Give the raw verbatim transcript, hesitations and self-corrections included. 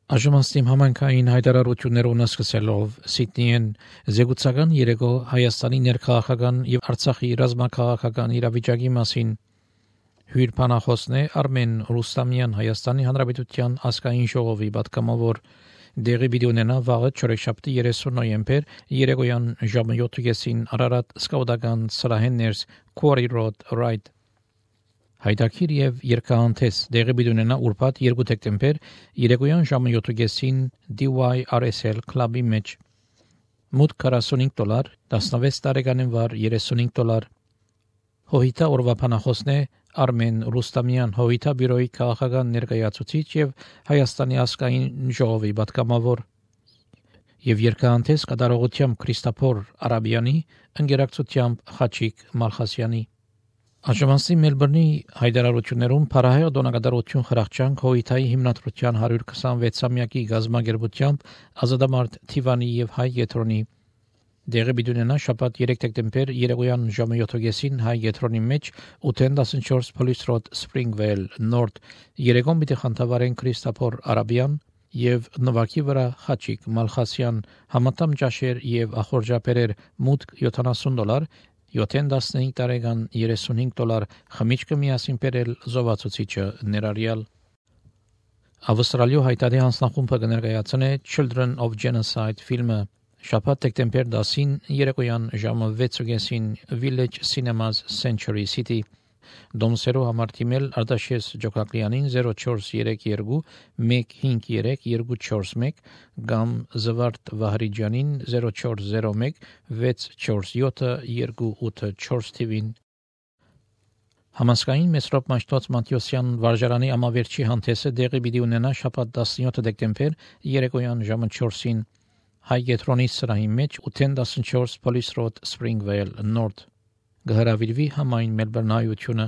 Աժմաստիմ համանքային հայտարարություններով սկսելով Սիդնիեն զեկուցական երեկո Հայաստանի ներքաղաքական եւ Արցախի ռազմաքաղաքական իրավիճակի մասին հյուր բանախոսն է Արմեն Ռուստամյան Հայաստանի Հանրապետության ազգային ժողովի պատգամավոր դեղի պիտի ունենա վաղը չորեքշաբթի երեսուն նոյեմբեր երեկոյան ժամը յոթին Արարատ սկաուտական սրահեն ներս Quarry Road Right Հայդակիր եւ երկհանթես դեղի պիտի ունենա ուրբաթ երկու դեկտեմբեր երեկոյան ժամը յոթին D Y R S L Club-ի մեջ մուտք քառասունհինգ դոլար տասնվեց տարեկանին վար երեսունհինգ դոլար Հոհիտա օրվա բանախոսն է Արմեն Ռուստամյան Հոհիտա բյուրոյի քաղաքական ներկայացուցիչ եւ Հայաստանի ազգային ժողովի պատգամավոր եւ երկհանթես կատարողությամբ Քրիստոփոր Արաբյանի ընկերակցությամբ Խաչիկ Մալխասյանի Աժմաստի Մելբուրնի հայտարարություններում Փարահեղ դոնակատարություն խրախճանք Հոհիտայի հիմնադրության հարյուր քսանվեցամյակի գազագերբությամբ ազատամարտ Թիվանի եւ Հայ Եթրոնի դեղի պիտի ունենա շաբաթ երեք դեկտեմբեր երեկոյան ժամը յոթին Հայ Եթրոնի մեջ ութ տասնչորս Police Road Springvale North երեկոն պիտի խանդավառեն Քրիստոփոր Արաբյան եւ նվակի վրա Խաչիկ Մալխասյան համատամ ճաշեր եւ ախորժապերեր մուտք յոթանասուն դոլար յոթ տասնհինգ տարեկան երեսունհինգ դոլար խմիչքը միասին բերել զովացուցիչը ներառյալ Ավստրալիա հայտարարի հանձնախումբը կներկայացնի Children of Genocide ֆիլմը շաբաթ դեկտեմբեր դասին երեկոյան ժամը վեցին Village Cinemas Century City Դոմսերու համար թիմել Արտաշես Ջոկակլյանին զերո չորս երեք երկու մեկ հինգ երեք երկու չորս մեկ կամ Զվարդ Վահրիջյանին զերո չորս զերո մեկ վեց չորս յոթ երկու ութ չորս թիվին Համասկային Մեսրոպ Մաշտոց Մատյոսյան վարժարանի ամավերջի հանդեսը դեղի պիտի ունենա շաբաթ տասնյոթ դեկտեմբեր երեկոյան ժամը չորսին Հայ Եթրոնի սրահի մեջ ութ տասնչորս Police Road Springvale North Գհրավիրվի համայն Մելբուրնայությունը